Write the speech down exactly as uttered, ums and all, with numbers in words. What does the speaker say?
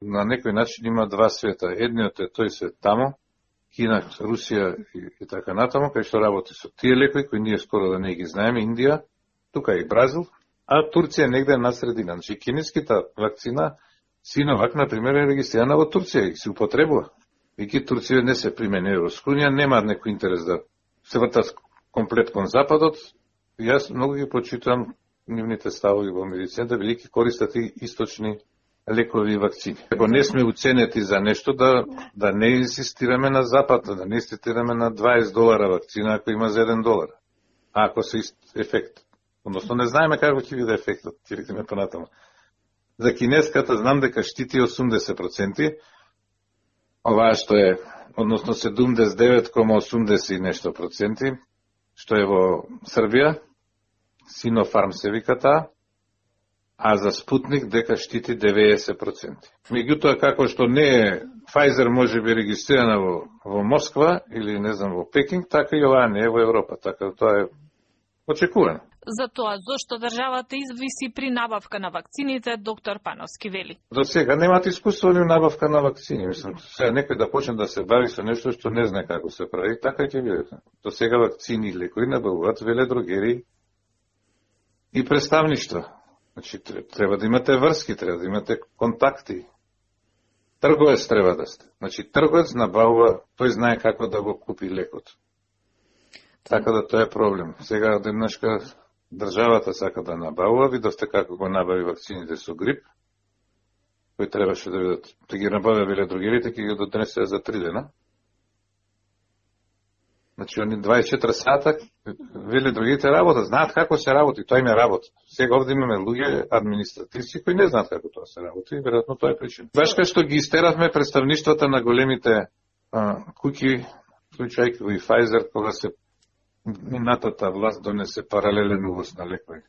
на некој начин има два света. Едниот е тој свет тамо, Кина, Русија и, и така натаму, кај што работи со тие лекови, кои ние скоро да не ги знаеме, Индија, тука и Бразил, а Турција негде на средина. Значи, кинеската вакцина Синовак, например, е регистрирана во Турција и се употребува. Веќе Турција не се примени Европска унија, нема некој интерес да се вртат комплет кон Западот. Јас многу ги почитам нивните ставови во медицината, велики користат и источни лекови и вакцини. Ако не сме уценети за нешто, да, да не инсистираме на Запад, да не инсистираме на дваесет долара вакцина, ако има за еден долар. А ако се ист ефект. Односно, не знаеме како ќе биде ефектот, ќе видиме понатаму. За кинеската знам дека штити осумдесет проценти, оваа што е, односно седумдесет и девет кома осумдесет и нешто проценти, што е во Србија, Синофарм се вика таа, а за Спутник дека штити деветдесет проценти. Меѓутоа, како што не е, Pfizer може би регистрирана во, во Москва или не знам во Пекинг, така и оваа не е во Европа, така тоа е очекувано. За тоа, зошто државата извиси при набавка на вакцините, доктор Пановски вели. До сега немате искуство ни набавка на вакцини. Мислам, сега некој да почне да се бави со нешто што не знае како се прави, така ќе биде. До сега вакцини и лекови набавуваат веледрогери и представништва. Значи, треба да имате врски, треба да имате контакти. Трговец треба да сте. Значи, трговец набавува, тој знае како да го купи лекот. Така да тоа е проблем. Сега, денешка, државата сака да набавува, видовте како го набави вакцините со грип, кои требаше да видат, да ги набавя веледрогерите, ќе ги донесе за три дена. Значи, они дваесет и четири сата, веледрогерите работат, знаат како се работи, тоа им е работа. Сега овде имаме луѓе, административци, кои не знаат како тоа се работи, и веројатно тоа е причина. Баш кај што ги истеравме представништвата на големите а, куќи, случајки во и Pfizer, кога се минатата власт донесе паралелен увоз на лекови.